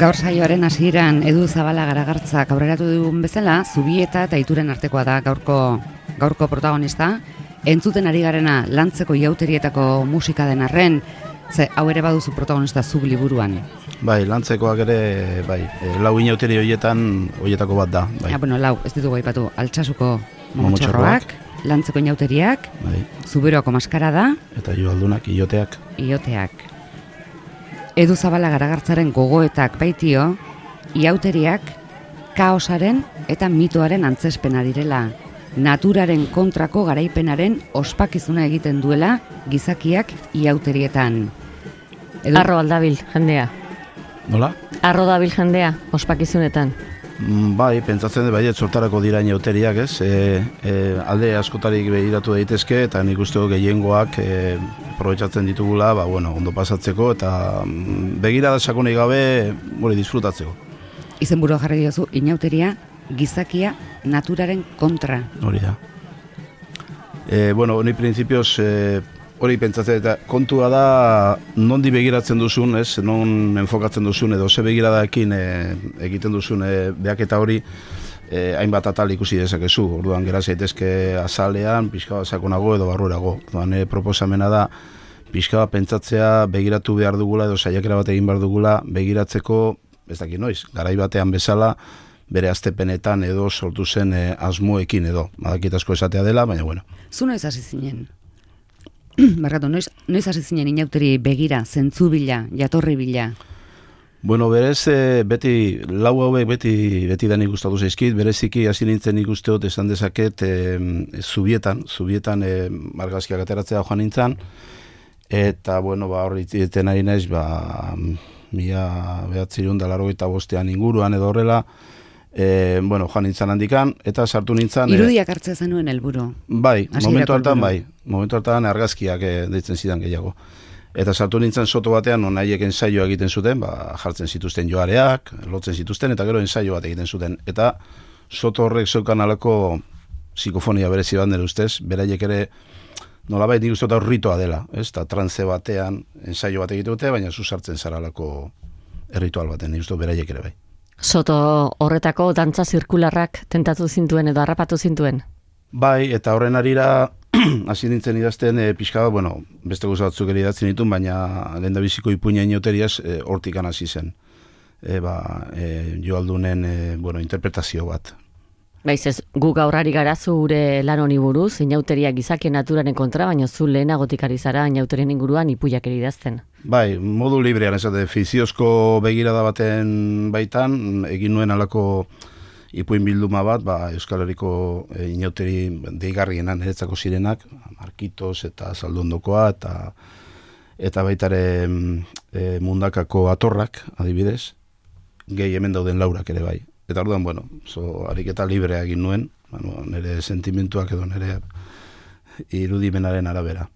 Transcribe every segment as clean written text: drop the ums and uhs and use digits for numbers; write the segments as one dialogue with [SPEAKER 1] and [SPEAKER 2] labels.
[SPEAKER 1] Gaur saioaren hasieran Edu Zabala Garagartzak aurreratu dugun bezala, Zubieta eta Ituren artekoa da gaurko protagonista. Entzuten ari garena Lantzeko Iauterietako musika den arren, ze hau ere baduzu protagonista zuk liburuan.
[SPEAKER 2] Bai, Lantzekoak ere, bai, lau inauteri hoietako bat da. Bai.
[SPEAKER 1] Bueno, lau, ez ditugu aipatu, Altsasuko Momotxorroak, Lantzeko Inauteriak,
[SPEAKER 2] bai.
[SPEAKER 1] Zuberoako Maskarada,
[SPEAKER 2] eta Joaldunak, Ioteak.
[SPEAKER 1] Edu Zabala Garagartzaren gogoetak baitio, iauteriak kaosaren eta mitoaren antzespena direla, naturaren kontrako garaipenaren ospakizuna egiten duela gizakiak iauterietan.
[SPEAKER 3] Arro aldabil jendea.
[SPEAKER 2] Nola?
[SPEAKER 3] Arro dabil jendea ospakizunetan.
[SPEAKER 2] Bai, pentsatzen dut baiet sortarako dira inauteriak, ez? Alde askotarik behiratu daitezke eta nik uste gehiengoak aprobetxatzen ditugula, ondo pasatzeko eta begirada sakonik gabe disfrutatzeko.
[SPEAKER 1] Izenburua jarri diozu, inauteria gizakia naturaren kontra.
[SPEAKER 2] Hori da. Ni printzipioz hori pentsatzen eta kontua da nondi begiratzen duzun, ez? Non enfokatzen duzun edo ze begiradaekin egiten duzun behaketa hori hainbat atal ikusi dezakezu. Orduan gera zaitezke azalean, pixka bat sakonago edo barruerago. Orduan proposamena da pixka bat pentsatzea begiratu behar dugula edo saiakera bat egin behar dugula begiratzeko, ez dakit noiz, garai batean bezala bere aztepenetan edo sortu zen asmoekin edo. Badakit asko esatea dela, baina bueno.
[SPEAKER 1] Zu noiz hasi zinen? Barkatu, noiz hasi zinen inauteri begira, zentzu bila, jatorri bila?
[SPEAKER 2] Berez, lau hauek beti da nik gustatu zaizkit, bereziki hasi nintzen nik usteot esan dezaket Zubietan margazkiak ateratzea joan nintzen, eta, hori eten ari naiz, 1985 inguruan edo horrela, joan nintzen handikan, eta sartu nintzen...
[SPEAKER 1] Irudiak hartzea zenuen helburu.
[SPEAKER 2] Bai, momentu hartan argazkiak deitzen zidan gehiago. Eta sartu nintzen soto batean, non haiek ensaioa egiten zuten, jartzen zituzten joareak, lotzen zituzten, eta gero ensaio bat egiten zuten. Eta soto horrek zeukan alako psikofonia berezi bat nire ustez, beraiek ere nolabait nik uste dut ritoa dela, eta trantze batean ensaio bat egite dute, baina zu sartzen zara alako erritual baten, nik uste dut beraiek ere bai.
[SPEAKER 3] Soto horretako dantza zirkularrak tentatu zintuen edo harrapatu zintuen?
[SPEAKER 2] Bai, eta horren arira hasi nintzen idazten pixka bat, beste gauza batzuk ere idatzen ditun, baina lehendabiziko ipuina inauteriaz hortikan hasi zen. Joaldunen interpretazio bat.
[SPEAKER 3] Baiz ez, gu gaur ari gara zure lan honi buruz, inauteriak gizakien naturaren kontra, baina zu lehenagotik ari zara inauterien inguruan ipuiak ere idazten.
[SPEAKER 2] Bai, modu librean, fiziozko begirada baten baitan, egin nuen alako ipuin bilduma bat, Euskal Herriko inauteri deigarrienan niretzako zirenak, Markitos eta Zaldondokoa, eta baitare Mundakako Atorrak, adibidez, gehi hemen dauden laurak ere bai. Eta orduan, ariketa librea egin nuen, nire sentimentuak edo nire irudimenaren arabera.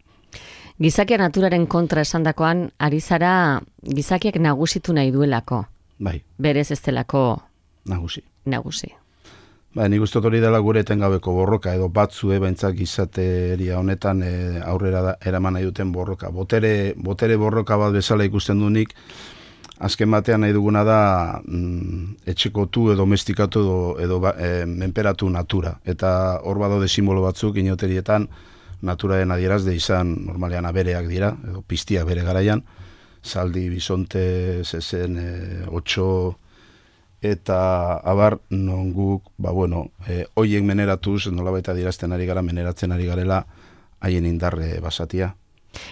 [SPEAKER 3] Gizakia naturaren kontra esandakoan, ari zara gizakiak nagusitu nahi duelako.
[SPEAKER 2] Bai.
[SPEAKER 3] Berez ez delako
[SPEAKER 2] nagusi.
[SPEAKER 3] Nik
[SPEAKER 2] uste hori dela gure etengabeko borroka, edo batzue baintzak gizateria honetan aurrera eraman nahi duten borroka. Botere borroka bat bezala ikusten du nik, azken batean nahi duguna da etxekotu edo domestikatu edo menperatu natura. Eta hor badaude simbolo batzuk inauterietan naturaren adierazde izan normalean abereak dira, edo piztiak bere garaian, zaldi, bisonte, zezen, otxo, eta abar non guk, hoiek meneratuz, nolabait adierazten ari gara, meneratzen ari garela, haien indarre basatia.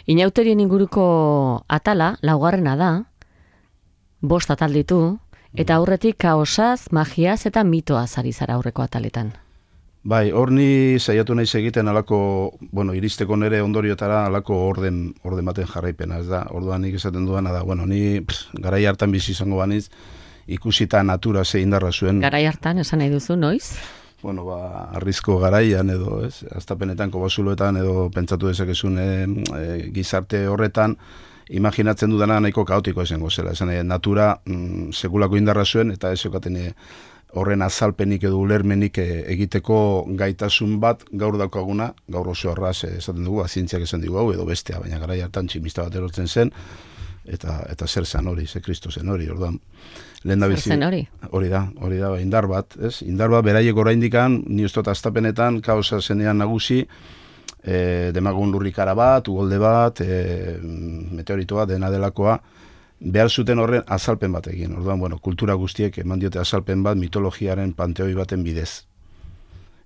[SPEAKER 3] Inauterien inguruko atala, laugarrena da, 5 atal ditu, eta aurretik kaosaz, magiaz eta mitoaz ari zara aurreko ataletan.
[SPEAKER 2] Bai, hor ni saiatu naiz egiten alako, iristeko nere ondoriotara alako orden baten jarraipena, ez da. Orduan nik esaten duana da, ni garai hartan bizi izango baniz, ikusita natura ze indarra zuen.
[SPEAKER 3] Garai hartan, esan nahi duzu, noiz?
[SPEAKER 2] Arrizko garaian edo, ez, aztapenetan, kobasuloetan edo pentsatu dezakezun gizarte horretan, imaginatzen dudana nahiko kaotiko izango zela. Esan natura sekulako indarra zuen, eta ez zeukaten horren azalpenik edo ulermenik egiteko gaitasun bat gaur daukaguna, gaur oso arraz esaten dugu, zientziak esan dugu hau edo bestea, baina garai hartan tximista bat erortzen zen, eta zer zen hori, ze Kristo zen hori, orduan.
[SPEAKER 3] Zer zen hori?
[SPEAKER 2] Hori da, indar bat, ez? Indar bat beraiek oraindikan, ni ustot astapenetan, kaosa zenean nagusi, demagun lurrikara bat, ugolde bat, meteoritoa, dena delakoa, behar zuten horren azalpen bat egin. Orduan, kultura guztiek eman diote azalpen bat mitologiaren panteoi baten bidez.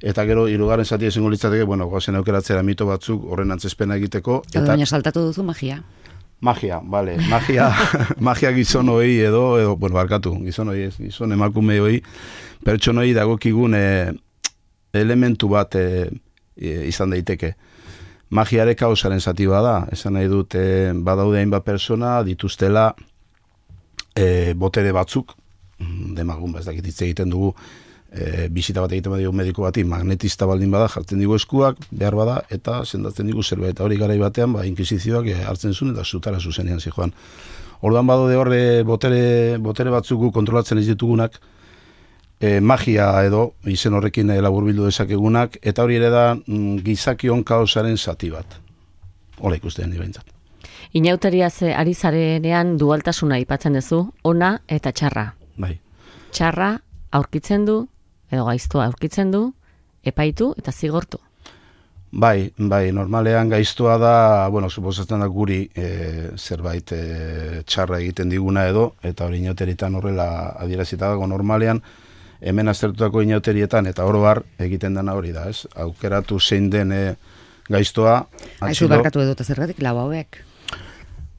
[SPEAKER 2] Eta gero, hirugarren zati esango litzateke, goazen aukeratzera mito batzuk horren antzespena egiteko.
[SPEAKER 1] Eta baina saltatu duzu magia.
[SPEAKER 2] Magia, bale. Magia gizon hoi edo, barkatu, gizon hoi ez, gizon emakume hoi, pertsonoi dagokigun elementu bat izan daiteke. Magiare kaosaren zati bada, esan nahi dut badaude hainbat persona dituztela botere batzuk, demagun ez dakit hitz egiten dugu, bisita bat egiten badigu mediko bati magnetista baldin bada, jartzen digu eskuak, behar bada, eta sendatzen digu zerbait. Eta hori garai batean, inkisizioak hartzen zuen eta zutara zuzenean zijoan. Orduan badaude horre botere batzuk kontrolatzen ez ditugunak, magia edo izen horrekin laburbildu dezakegunak, eta hori ere da gizakion kaosaren zati bat. Hola ikusten ni behintzat.
[SPEAKER 3] Inauteriaz ari zarenean dualtasuna aipatzen duzu, ona eta txarra.
[SPEAKER 2] Bai.
[SPEAKER 3] Txarra aurkitzen du, edo gaiztua aurkitzen du, epaitu eta zigortu.
[SPEAKER 2] Bai, normalean gaiztoa da, suposatzen da guri zerbait txarra egiten diguna edo, eta hori inauteritan horrela adierazita dago normalean, hemen aztertutako inauterietan, eta oro har egiten dena hori da, ez? Aukeratu zein den gaiztoa,
[SPEAKER 1] Aizu barkatu edota zergatik lau hauek?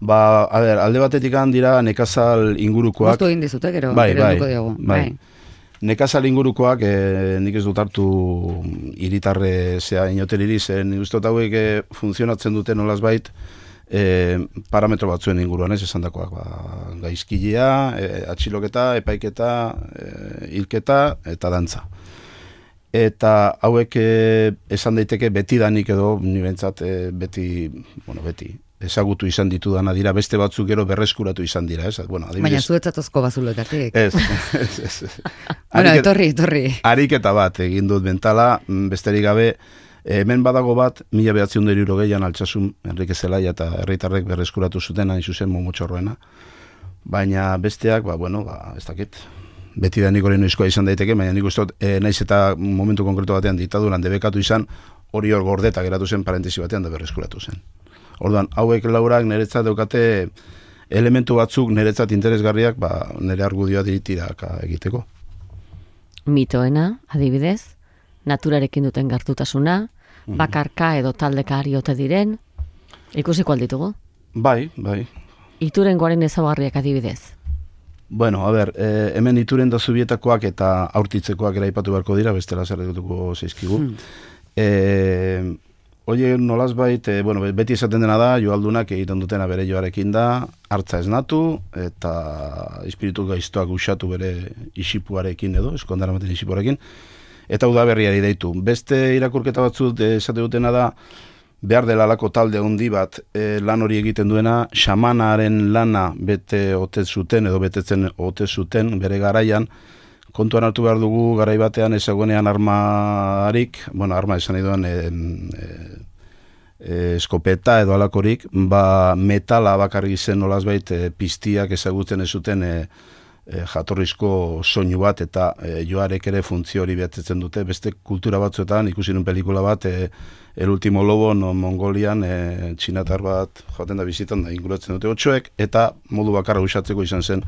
[SPEAKER 2] Alde batetik dira nekazal ingurukoak.
[SPEAKER 1] Gustu egin dizute, gero,
[SPEAKER 2] bai.
[SPEAKER 1] diogu.
[SPEAKER 2] Nekazal ingurukoak, nik ez dut hartu hiritarre inauteriri, zen nik hauek funtzionatzen dute nolazbait parametro batzuen inguruan, ez esan dakoak, gaizkilea, atxiloketa, epaiketa, hilketa eta dantza. Eta hauek esan daiteke betidanik edo, nibentzat beti, ezagutu izan ditudana dira, beste batzuk gero berreskuratu izan dira, ez?
[SPEAKER 1] Baina zuetzatozko bazuloetatik.
[SPEAKER 2] Ez.
[SPEAKER 1] Etorri.
[SPEAKER 2] Ariketa bat egin dut mentala, besterik gabe, hemen badago bat, 1960an Altsasun, Enrique Zelaya eta herritarrek berreskuratu zuten, hain zuzen momotxorroena. Baina besteak, ez dakit, beti da nik hori noizkoa izan daiteke, baina nik ustot, naiz eta momentu konkretu batean diktaduran debekatu izan, hori hor gordeta geratu zen parentesi batean da berreskuratu zen. Orduan, hauek laurak niretzat daukate elementu batzuk niretzat interesgarriak, nire argudioa ditiraka egiteko.
[SPEAKER 3] Mitoena, adibidez, naturarekin duten gertutasuna, bakarka edo taldeka ari ote diren, ikusiko alditugu?
[SPEAKER 2] Bai.
[SPEAKER 3] Iturengoaren ezaugarriak adibidez?
[SPEAKER 2] Hemen ituren da zubietakoak eta aurtitzekoak eraipatu beharko dira, bestela zerretuko zeizkigu. Oie, nolazbait, beti esaten dena da, joaldunak egiten dutena bere joarekin da, hartza esnatu, eta espiritu gaiztoak usatu bere isipuarekin edo, eskondaramaten isipuarekin, eta udaberriari deitu. Beste irakurketa batzut esate dutena da, behar dela alako talde handi bat lan hori egiten duena, xamanaren lana bete ote zuten edo betetzen ote zuten bere garaian, kontuan hartu behar dugu garai batean ezagunean armarik, arma esan nahi duan eskopeta edo alakorik, metala bakarrik zen nolazbait piztiak ezagutzen ez zuten jatorrizko soinu bat eta joarek ere funtzio hori betetzen dute. Beste kultura batzuetan ikusi nun pelikula bat, El Último Lobo, Mongolian, txinatar bat joaten da bizitan da inguratzen dute otxoek, eta modu bakarra usatzeko izan zen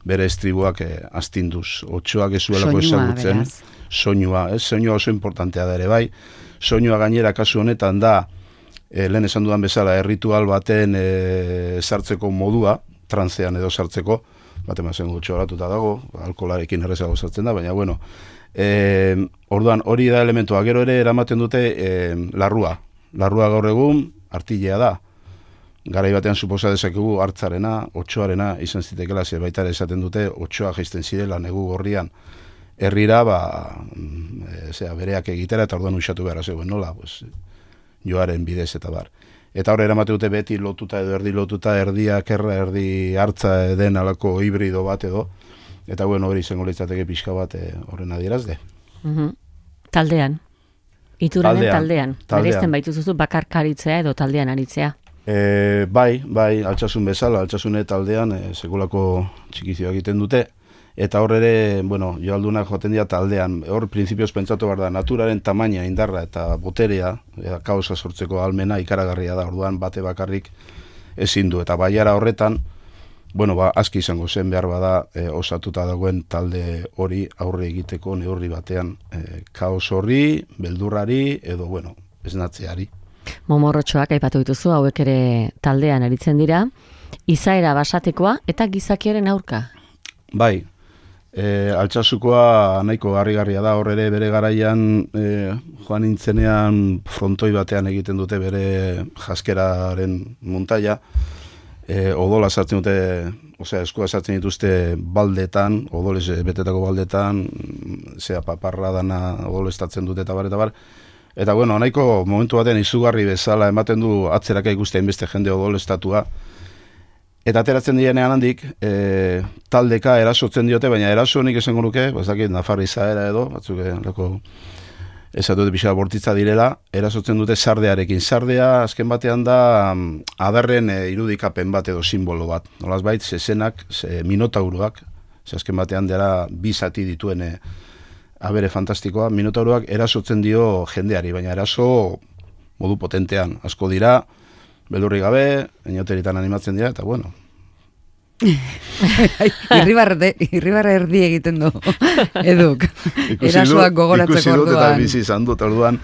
[SPEAKER 2] bere estribuak astinduz. Otxoak ez zuelako ezagutzen. Soinua, soinua oso importantea da ere bai. Soinua gainera kasu honetan da, lehen esan dudan bezala, erritual baten sartzeko modua, transean edo sartzeko, bat emazen gutxo horatuta dago, alkolarekin errezago sartzen da, baina orduan hori da elementua. Gero ere eramaten dute larrua. Larrua gaur egun artilea da. Garai batean suposa dezakegu hartzarena, otxoarena izan zitekela, baita ere esaten dute otxoa jaisten zirela negu gorrian herrira, bereak egitera eta orduan usatu behar zegoen nola, joaren bidez eta bar. eta hor eramate dute beti lotuta edo erdi lotuta, erdia kerra, erdi hartza den alako hibrido bat edo, eta bueno, hori izango litzateke pixka bat horren adierazle.
[SPEAKER 3] Taldean, ituranen taldean. Bereizten baituzuzu bakarkaritzea edo taldean aritzea.
[SPEAKER 2] Bai, altsasun bezala, altsasune taldean sekulako txikizioak egiten dute, eta hor ere, bueno, joaldunak joaten dira taldean, hor printzipioz pentsatu behar da, naturaren tamaina, indarra eta boterea, kaosa sortzeko almena ikaragarria da, orduan bate bakarrik ezin du, eta baiara horretan, bueno, aski izango zen behar bada osatuta dagoen talde hori aurre egiteko neurri batean, kaos horri, beldurrari, edo, bueno, esnatzeari.
[SPEAKER 3] Momorrotxoak aipatu dituzu, hauek ere taldean aritzen dira, izaera basatekoa eta gizakiaren aurka.
[SPEAKER 2] Bai, Altsasukoa nahiko harrigarria da, hor ere bere garaian joan nintzenean frontoi batean egiten dute bere jaskeraren montaia, odola sartzen dute, osea, eskua sartzen dituzte baldetan, odolez betetako baldetan, paparra dana odolestatzen dute eta bar. Eta bueno, nahiko momentu batean izugarri bezala ematen du atzeraka ikusten beste jende odolestatua. Eta ateratzen direnean handik, taldeka erasotzen diote, baina eraso nik esango nuke, bazakit nafarri izaera edo, batzuk esatu dute pixka bortitza direla, erasotzen dute sardearekin. Sardea azken batean da adarren irudikapen bat edo simbolo bat. Nolaz bait, zezenak, minotauruak, azken batean dira bi zati dituen abere fantastikoa, minotauruak erasotzen dio jendeari, baina eraso modu potentean. Asko dira, beldurri gabe, inoteritan animatzen dira, eta bueno.
[SPEAKER 1] Irribarre erdi egiten du, eduk. Erasoak gogoratzeko orduan.
[SPEAKER 2] Ikusi dut eta bizi izan dut orduan,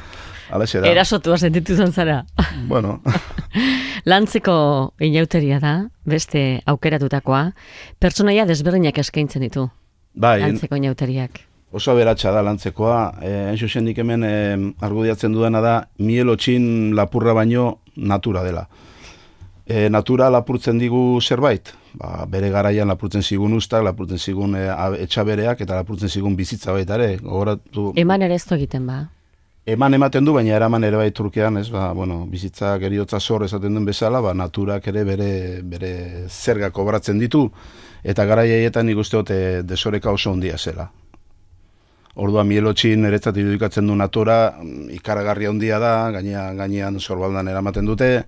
[SPEAKER 2] alaxera.
[SPEAKER 3] Erasotua sentitu izan zara.
[SPEAKER 2] Bueno.
[SPEAKER 3] Lantzeko inauteria da, beste aukeratutakoa, pertsonaia desberdinak eskaintzen ditu.
[SPEAKER 2] Bai.
[SPEAKER 3] Lantzeko inauteriak.
[SPEAKER 2] Oso aberatsa da lantzekoa, zuzendik hemen argudiatzen dudana da, mielotxin lapurra baino natura dela. Natura lapurtzen digu zerbait, bere garaian lapurtzen zigun ustak, lapurtzen zigun etxabereak eta lapurtzen zigun bizitza baita ere.
[SPEAKER 3] Eman ere ez egiten ba?
[SPEAKER 2] Eman ematen du, baina eraman ere bai Turkian, bizitzak eriotza zor esaten duen bezala, naturak ere bere zerga kobratzen ditu, eta garaiaietan nik uste dute desoreka oso ondia zela. Orduan mielotxin eretzat irudikatzen du natura, ikaragarria handia da, gainean sorbaldan eramaten dute,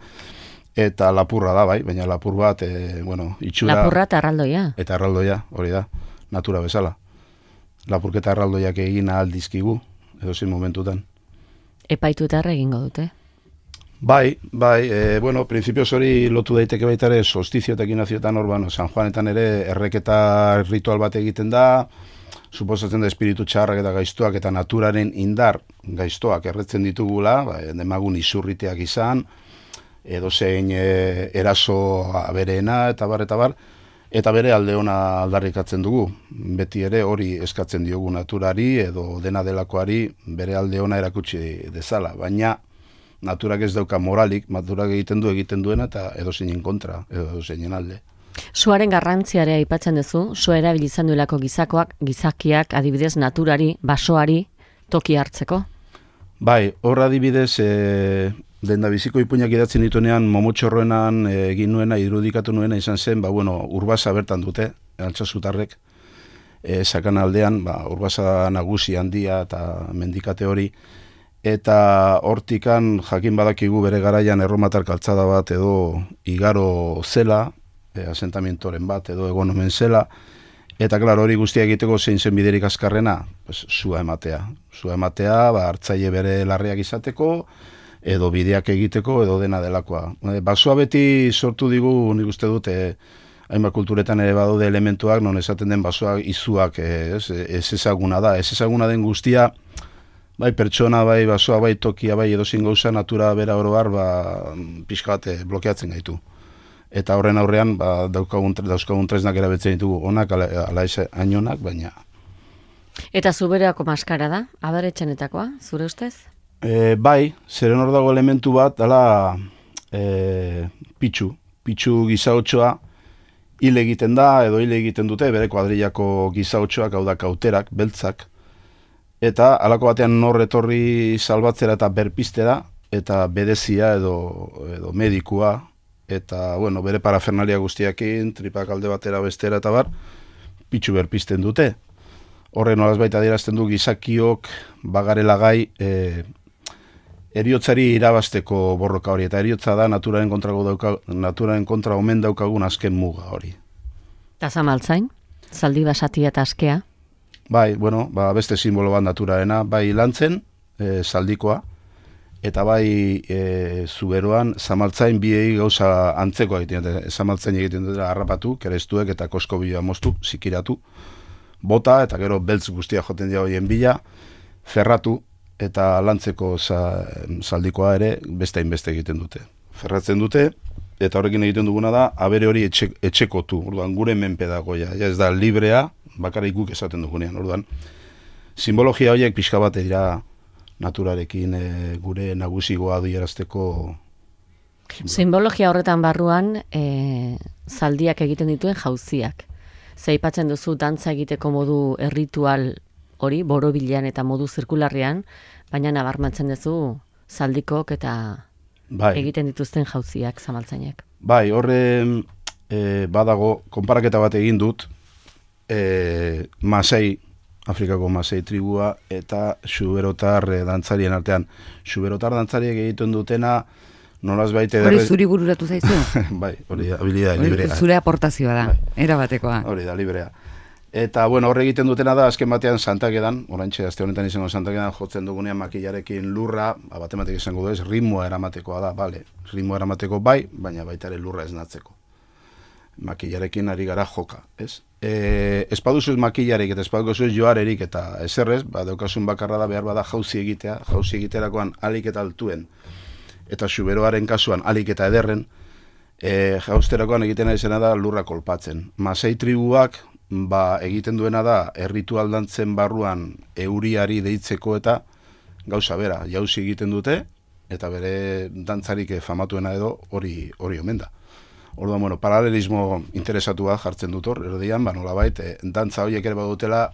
[SPEAKER 2] eta lapurra da, bai, baina lapur bat, itxura...
[SPEAKER 3] Lapurra eta arraldoia.
[SPEAKER 2] Eta arraldoia, hori da, natura bezala. Lapurketa arraldoiak egin ahal dizkigu, edozin momentutan.
[SPEAKER 3] Epaitu eta egingo dute?
[SPEAKER 2] Bai, prinsipioz hori lotu daiteke baita ere, solstizioetak inazioetan hor, San Juanetan ere erreketa ritual bat egiten da, suposatzen da espiritu txarrak eta gaiztoak eta naturaren indar gaiztoak erretzen ditugula, demagun izurriteak izan, edo zein eraso abereena eta bar, eta bere alde ona aldarrikatzen dugu. Beti ere hori eskatzen diogu naturari edo dena delakoari bere alde ona erakutsi dezala, baina naturak ez dauka moralik, naturak egiten duena eta edo zeinen kontra, edo zeinen alde.
[SPEAKER 3] Suaren garrantziare aipatzen duzu, sua erabili izan duelako gizakiak adibidez naturari, basoari, toki hartzeko?
[SPEAKER 2] Bai, hor adibidez, denda biziko ipuinak idatzen dituenean, momotxorroenan egin nuena, irudikatu nuena izan zen, urbasa bertan dute, Altsasutarrek, sakan aldean, urbasa nagusi handia eta mendikate hori, eta hortikan jakin badakigu bere garaian erromatar kaltzada bat edo igaro zela, asentamientoren bat edo egonomen zela, eta klar hori guztia egiteko zein zen biderik azkarrena, sua ematea. Sua ematea, hartzaile bere larriak izateko, edo bideak egiteko, edo dena delakoa. Basoa beti sortu digu, nik uste dute, hainbat kulturetan ere badaude elementuak, non esaten den basoa izuak ez ezaguna da. Ez ezaguna den guztia, bai pertsona, bai basoa, bai tokia, bai edozin gauza, natura bera oroar, pixka bat blokeatzen gaitu. Eta horren aurrean, dauzkagun tresnak erabiltzen ditugu, onak, ala hainonak, baina...
[SPEAKER 3] Eta zubereako maskara da, abaretxenetakoa, zure ustez?
[SPEAKER 2] Bai, zeren hor dago elementu bat, dala pitxu gizaotxoa, hil egiten da, edo hil egiten dute, bere kuadrillako gizaotxoak, hau da kauterak, beltzak, eta halako batean nor etorri salbatzera eta berpistera, eta bedezia edo medikua, eta, bueno, bere parafernalia guztiakin, tripak alde batera bestera eta bar, pitxu berpizten dute. Horren nolaz baita adierazten du gizakiok bagarela gai eriotzari irabasteko borroka hori, eta eriotza da naturaren kontra omen daukagun azken muga hori.
[SPEAKER 3] Eta zamaltzain, zaldi basatia eta askea?
[SPEAKER 2] Bai, bueno, beste simbolo bat naturarena, bai lantzen, zaldikoa, eta bai zuberoan zamaltzain biei gauza antzeko egiten dute, zamaltzain egiten dute harrapatu, kerestuek eta kosko bila moztu, zikiratu, bota, eta gero beltz guztia joten dira hoien bila, ferratu, eta lantzeko zaldikoa ere beste hainbeste egiten dute. Ferratzen dute, eta horrekin egiten duguna da, abere hori etxekotu, orduan gure menpe dagoia, ez da librea, bakarrik guk esaten dugunean, orduan. Simbologia horiek pixka bat dira naturarekin gure nagusigoa adierazteko.
[SPEAKER 3] Simbologia horretan barruan zaldiak egiten dituen jauziak. Zeipatzen duzu dantza egiteko modu erritual hori, borobilean eta modu zirkularrean, baina nabarmentzen duzu zaldikok eta egiten dituzten jauziak zamaltzainek.
[SPEAKER 2] Bai, horre badago, konparaketa bat egin dut, Masai, Afrikako Masai tribua eta xuberotar dantzarien artean. Xuberotar dantzariek egiten dutena, nolaz baite...
[SPEAKER 1] Hori zuri bururatu zaizu?
[SPEAKER 2] Bai, hori da, habilidade librea.
[SPEAKER 1] Zure aportazioa da, erabatekoa.
[SPEAKER 2] Hori da, librea. Eta, bueno, horre egiten dutena da, azken batean Santakedan, oraintxe, azte honetan izango Santakedan, jotzen dugunean makillarekin lurra, batematik izango du ez, ritmoa eramatekoa da, bale, ritmoa eramateko bai, baina baita ere lurra esnatzeko. Makillarekin ari gara joka, ez? Espaduzuz makillarik eta espaduzuz joarerik eta eserrez, daukasun bakarra da behar bada jauzi egitea, jauzi egiterakoan alik eta altuen, eta xuberoaren kasuan alik eta ederren, jausterakoan egiten izena da lurra kolpatzen. Masai tribuak egiten duena da erritual dantzen barruan euriari deitzeko eta gauza bera, jauzi egiten dute, eta bere dantzarik famatuena edo hori omen da. Orduan, bueno, paralelismo interesatua jartzen dut hor, erdian, nolabait, dantza horiek ere badutela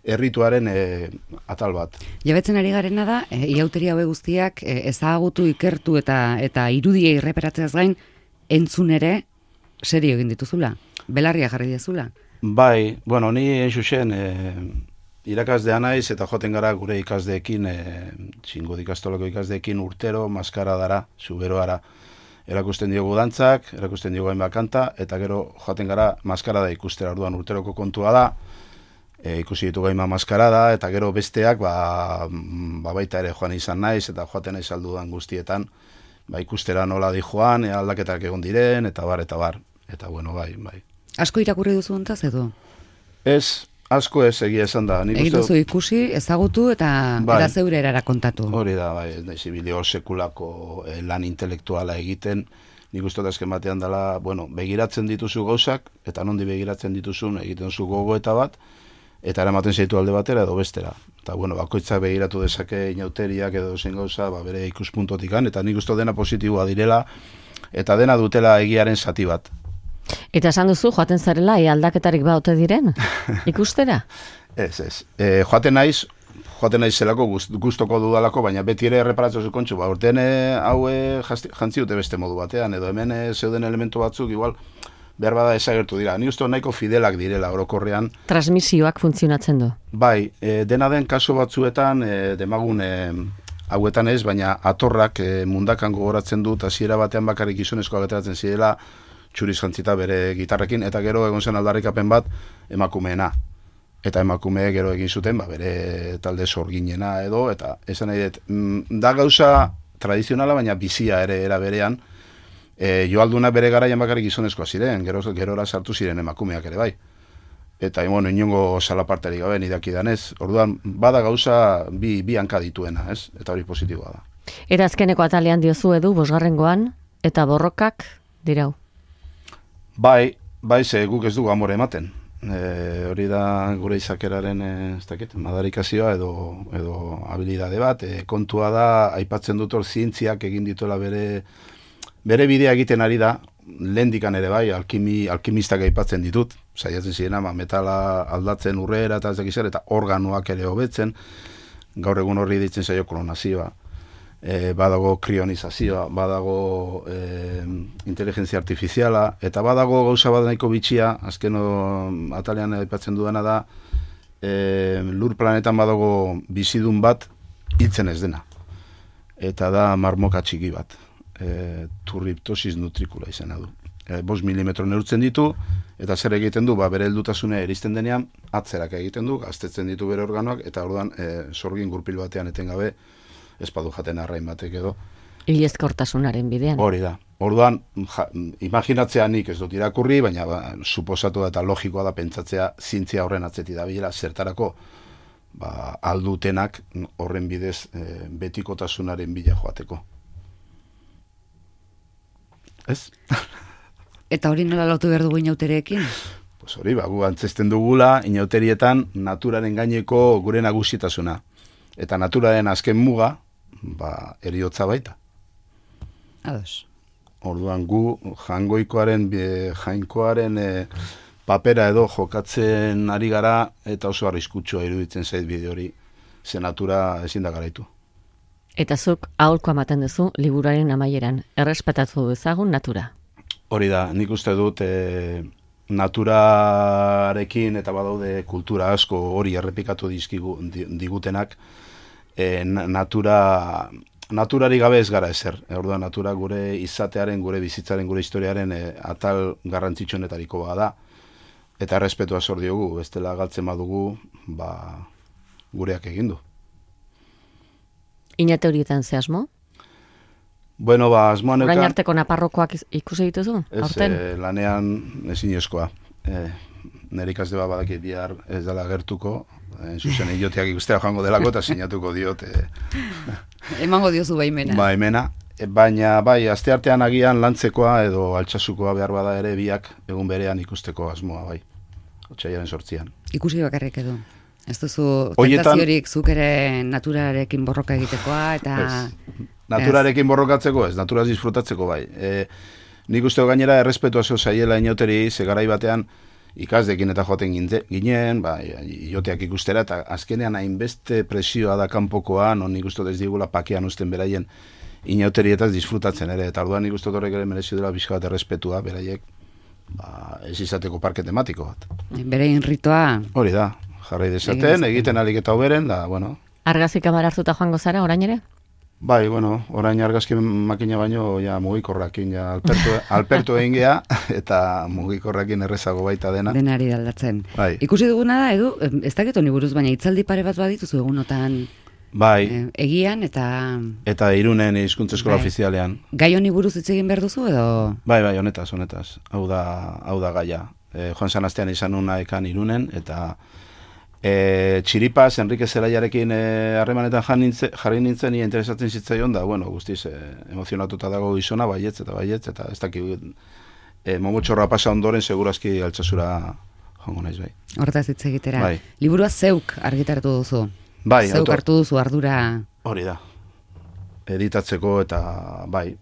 [SPEAKER 2] errituaren atal bat.
[SPEAKER 1] Jabetzen ari garena da, iauteri haue guztiak ezagutu, ikertu eta irudiei erreperatzeaz gain, entzun ere serio egin dituzula, belarria jarri diazula.
[SPEAKER 2] Bai, bueno, ni xuxen irakazdea naiz eta joten gara gure ikasdeekin, txingo ikastolako ikasdeekin urtero, maskara dara, zuberoara. Erakusten diogu dantzak, erakusten diogu hainbat kanta, eta gero joaten gara maskarada ikustera, orduan urteroko kontua da, ikusi ditugu hainbat maskarada, eta gero besteak, baita ere joan izan naiz, eta joaten naiz aldudan guztietan, ikustera nola di joan, aldaketak egon diren, eta bar. Eta bueno, bai.
[SPEAKER 1] Asko irakurri duzu hontaz edo?
[SPEAKER 2] Ez, asko ez egia esan da.
[SPEAKER 1] Egin duzu ikusi, ezagutu eta zeure erara kontatu.
[SPEAKER 2] Hori da, bideo sekulako lan intelektuala egiten, nik uste azken batean dela, bueno, begiratzen dituzu gauzak, eta nondi begiratzen dituzun egiten duzu gogoeta bat, eta eramaten zaitu alde batera edo bestera. Eta, bueno, bakoitzak begiratu dezake inauteriak edo zen gauza, bere ikuspuntotikan, eta nik uste dena positiboa direla, eta dena dutela egiaren zati bat.
[SPEAKER 3] Eta esan duzu, joaten zarela, aldaketarik baute diren, ikustera?
[SPEAKER 2] Ez. Joaten naiz zelako gustoko dudalako, baina beti ere erreparatzen zukontxu, urtean haue jantziute beste modu batean, edo hemen zeuden elementu batzuk, igual, behar bada ezagertu dira. Ni uste nahiko fidelak direla orokorrean.
[SPEAKER 3] Transmisioak funtzionatzen du?
[SPEAKER 2] Bai, dena den kasu batzuetan, demagun hauetan ez, baina atorrak mundakan gogoratzen dut, hasiera batean bakarrik gizonezkoak ateratzen zirela, txuriz jantzita bere gitarrekin, eta gero egon zen aldarrikapen bat emakumeena. Eta emakume gero egin zuten, bere talde sorginena edo, eta esan nahi dut, da gauza tradizionala, baina bizia ere era berean, joalduna bere garaian bakarrik gizonezkoa ziren, gerora sartu ziren emakumeak ere bai. Eta inongo salaparterik gabe nidakidanez, orduan, bada gauza bi hanka dituena, ez? Eta hori positiboa da.
[SPEAKER 3] Eta azkeneko atalean diozu edu, bosgarrengoan, eta borrokak dirau.
[SPEAKER 2] Bai, ze guk ez dugu amore ematen. Hori da gure izakeraren madarikazioa edo habilidade bat. Kontua da, aipatzen dut hor zientziak egin dituela bere bidea egiten ari da, lehendikan ere bai, alkimistak aipatzen ditut, saiatzen zirena, metala aldatzen urrera eta eta organoak ere hobetzen, gaur egun horri ditzen zaio klonazioa. badago krionizazioa, badago inteligentzia artifiziala, eta badago gauza bat nahiko bitxia, azkeno atalean aipatzen dudana da, lur planetan badago bizidun bat hiltzen ez dena. Eta da marmoka txiki bat, Turritopsis nutricula izena du. 5 milimetro neurtzen ditu, eta zer egiten du, bere heldutasuna eristen denean, atzerak egiten du, gaztetzen ditu bere organoak, eta orduan sorgin gurpil batean etengabe, espadu jaten arrain batek edo.
[SPEAKER 3] Hilezkortasunaren bidean.
[SPEAKER 2] Hori da. Orduan, imaginatzea nik ez dut irakurri, baina suposatu eta logikoa da pentsatzea zientzia horren atzeti da bila, zertarako aldutenak horren bidez betikotasunaren bila joateko. Ez?
[SPEAKER 1] Eta hori nola lotu behar dugu inautereekin?
[SPEAKER 2] Pues hori, gu antzesten dugula inauterietan naturaren gaineko gure nagusitasuna. Eta naturaren azken muga, heriotza baita.
[SPEAKER 1] Ados.
[SPEAKER 2] Orduan gu jainkoaren papera edo jokatzen ari gara, eta oso arriskutsua iruditzen zait bide hori, ze natura ezin da garaitu.
[SPEAKER 3] Eta zuk aholko ematen duzu liburuaren amaieran, errespetatu dezagun natura.
[SPEAKER 2] Hori da, nik uste dut naturarekin eta badaude kultura asko hori errepikatu digutenak, naturari gabe ez gara ezer. Orduan natura gure izatearen, gure bizitzaren, gure historiaren atal garrantzitsuenetariko bada, eta errespetua zor diogu, bestela galtzen badugu, gureak egindu.
[SPEAKER 3] Inate horietan ze asmo?
[SPEAKER 2] Bueno, asmoan
[SPEAKER 3] orain arteko naparrokoak ikusi dituzu?
[SPEAKER 2] Ez, lanean ezinezkoa. Nire ikasle badaki bihar ez dela gertuko, zuzen idioteak ikustea joango delako eta sinatuko diot.
[SPEAKER 1] Emango diozu baimena.
[SPEAKER 2] Baimena, baina bai, asteartean agian lantzekoa edo altxasukoa behar bada ere biak egun berean ikusteko asmoa bai. Otsailaren 8an.
[SPEAKER 1] Ikusi bakarrik edo. Ez duzu tentaziorik zuk ere naturarekin borroka egitekoa eta...
[SPEAKER 2] Naturarekin borrokatzeko ez, naturaz disfrutatzeko bai. Nik uste gainera errespetua zeu zaiela inoteri, ze garai batean ikasdekin eta joaten ginen, ioteak ikustera, eta azkenean hainbeste presioa da kanpokoa, non nik uste ez digula pakean usten beraien inauterietaz disfrutatzen ere, eta orduan nik uste horrek ere merezio dela bizka bat errespetua, beraiek ez izateko parke tematiko bat.
[SPEAKER 1] Berein ritoa...
[SPEAKER 2] Hori da, jarrai dezaten, egiten alik eta hoberen, da, bueno...
[SPEAKER 3] Argazik kamara hartuta joango zara, orain ere?
[SPEAKER 2] Bai, bueno, orain argazki makina baino ja mugikorrakin ja alpertu egin gea, eta mugikorrakin errezago baita dena.
[SPEAKER 1] Denari aldatzen.
[SPEAKER 2] Bai.
[SPEAKER 1] Ikusi duguna da, Edu, ez dakit honi buruz, baina hitzaldi pare bat badituzu egunotan
[SPEAKER 2] bai.
[SPEAKER 1] Egian eta...
[SPEAKER 2] Eta Irunen hizkuntza eskola ofizialean.
[SPEAKER 1] Gai honi buruz hitz egin behar duzu edo...
[SPEAKER 2] Bai, honetaz. Hau da gaia. Joan San Astean izan nuna ekan Irunen, eta... Txiripaz, Enrique Zelaiarekin harremanetan jarri nintzen, ia interesatzen zitzaion da, bueno, guztiz emozionatuta dago gizona, baietz, eta ez dakit momotxorra pasa ondoren, segurazki altsasura joango naiz, bai.
[SPEAKER 1] Hortaz hitz egitera.
[SPEAKER 2] Bai.
[SPEAKER 1] Liburua zeuk argitaratu duzu.
[SPEAKER 2] Bai,
[SPEAKER 1] zeuk hartu duzu ardura.
[SPEAKER 2] Hori da. Editatzeko eta bai,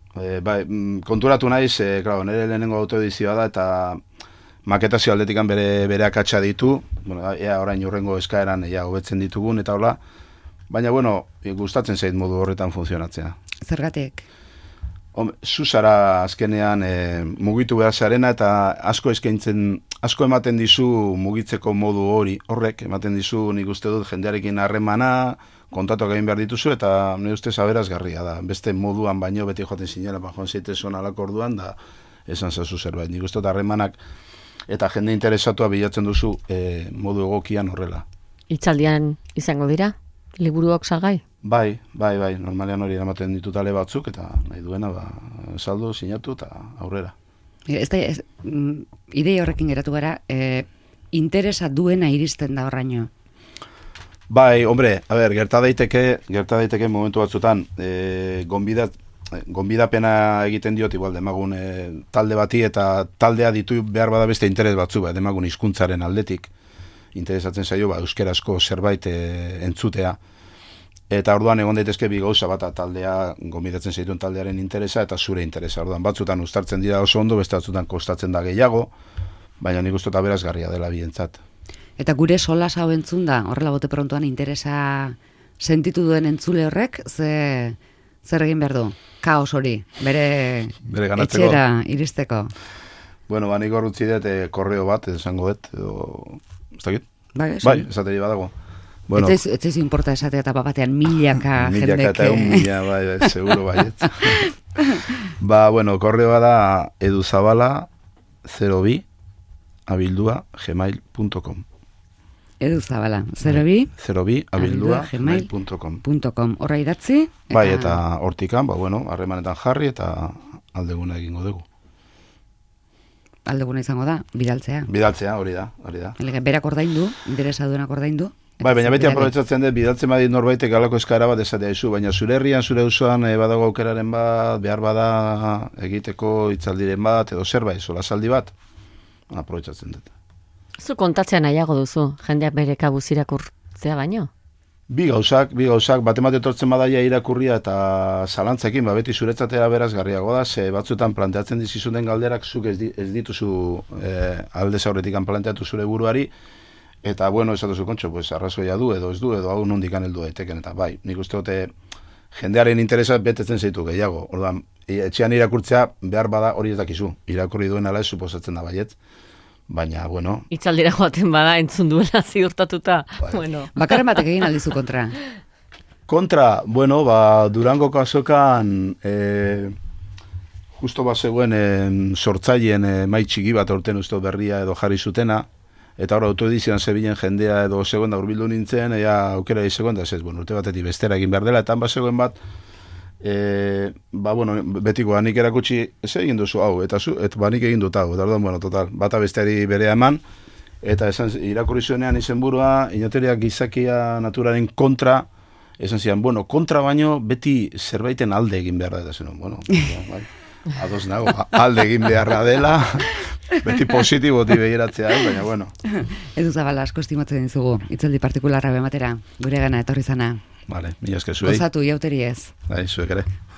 [SPEAKER 2] konturatu naiz, nire lehenengo autoedizioa da, eta maketazio aldetikan bere akatsa ditu, bueno, ea orain urrengo eskaeran hobetzen ditugun, eta hola, baina, bueno, gustatzen zait modu horretan funtzionatzea.
[SPEAKER 1] Zergatik?
[SPEAKER 2] Zuzara azkenean mugitu behar zarena, eta asko ematen dizu mugitzeko modu horrek, ematen dizu nik uste dut jendearekin harremana, kontatuak egin behar dituzu, eta nire uste aberazgarria da. Beste moduan baino beti joaten zinela, joan zeitezon alako orduan, da esan zazu zerbait. Nik uste dut harremanak eta jende interesatua bilatzen duzu modu egokian horrela. Hitzaldian
[SPEAKER 3] izango dira? Liburuok salgai?
[SPEAKER 2] Bai, normalean hori eramaten ditut ale batzuk, eta nahi duena, saldu, sinatu, eta aurrera.
[SPEAKER 1] Idei horrekin geratu gara, interesa duena iristen da horraino?
[SPEAKER 2] Bai, hombre, gerta daiteke momentu batzutan, gonbidapena egiten diot, igual, demagun talde bati, eta taldea ditu behar bada beste interes batzu, demagun hizkuntzaren aldetik, interesatzen zaio, euskarazko zerbait entzutea. Eta orduan egon daitezke bi gauza bat, taldea, gonbidatzen zaituen taldearen interesa, eta zure interesa. Orduan batzutan uztartzen dira oso ondo, beste batzutan kostatzen da gehiago, baina nik uste berazgarria dela bientzat.
[SPEAKER 1] Eta gure solas hau entzun da, horrela bote prontuan interesa sentitu duen entzule horrek, zer egin behar du? Kaos hori, bere
[SPEAKER 2] ganatzeko.
[SPEAKER 1] etxera iristeko.
[SPEAKER 2] Bueno, nik horrutzi dut korreo bat, esango dut, edo, ez dakit?
[SPEAKER 1] Bai,
[SPEAKER 2] esateri badago. Bueno,
[SPEAKER 1] ez importa esatea eta batean milaka jendeke.
[SPEAKER 2] Milaka eta mila, bai, seguro baiet. Bueno, korreoa da eduzabala02 gmail.com.
[SPEAKER 1] Eduzabala, 02
[SPEAKER 2] gmail.com.
[SPEAKER 1] Horra idatzi?
[SPEAKER 2] Bai, eta hortikan, harremanetan jarri eta aldeguna egingo dugu.
[SPEAKER 1] Aldeguna izango da, bidaltzea.
[SPEAKER 2] Bidaltzea, hori da.
[SPEAKER 1] Berak ordaindu, interesa duenak ordaindu.
[SPEAKER 2] Bai, baina beti aprobetsatzen dut, bidaltzen badit norbaitek alako eskaera bat esatea izu, baina zure herrian, zure usuan badago aukeraren bat, behar bada egiteko hitzaldiren bat, edo zerbait, solasaldi bat, aprobetsatzen dut.
[SPEAKER 3] Zu kontatzea nahiago duzu, jendeak bere kabuz irakurtzea baino?
[SPEAKER 2] Bi gauzak, bat etortzen badaia irakurria eta zalantzekin, beti zuretzatera berazgarriago da, ze batzuetan planteatzen dizizuten galderak zuk ez dituzu aldez aurretik planteatu zure buruari, eta esatuzu kontxo, arrazoia du, edo ez du, edo hau nondikan heldu daiteken, eta bai, nik uste dute jendearen interesa betetzen zaitu gehiago. Orduan, etxean irakurtzea behar bada hori ez dakizu, irakurri duen ala ez suposatzen da baiet. Baina,
[SPEAKER 3] Itzaldira joaten bada entzun duela ziurtatuta.
[SPEAKER 1] Bakarren batek egin aldizu kontra?
[SPEAKER 2] Kontra, Durango kasokan justo zegoen sortzaileen mai txiki bat aurten uste berria edo jarri zutena, eta hor autoedizioan zebilen jendea edo zegoen da urbildu nintzen, ea aukera izegoen da, urte batetik bestera egin behar dela, eta zegoen bat, betiko nik erakutsi ez egin duzu hau, eta nik egin dut hau, eta orduan, total, bata besteari berea eman, eta irakurri zuenean izenburua, inateriak gizakia naturaren kontra, esan zian, kontra baino beti zerbaiten alde egin behar da, eta zen, bai, ados nago, alde egin beharra dela, beti positiboti behiratzea, baina,
[SPEAKER 1] Eduzabala, asko estimatzen dizugu, itzaldi partikularra bematera, gure gana etorri zana.
[SPEAKER 2] Vale, mila esker zuei.
[SPEAKER 1] Gozatu, jauteriez.
[SPEAKER 2] Bai, zuek ere.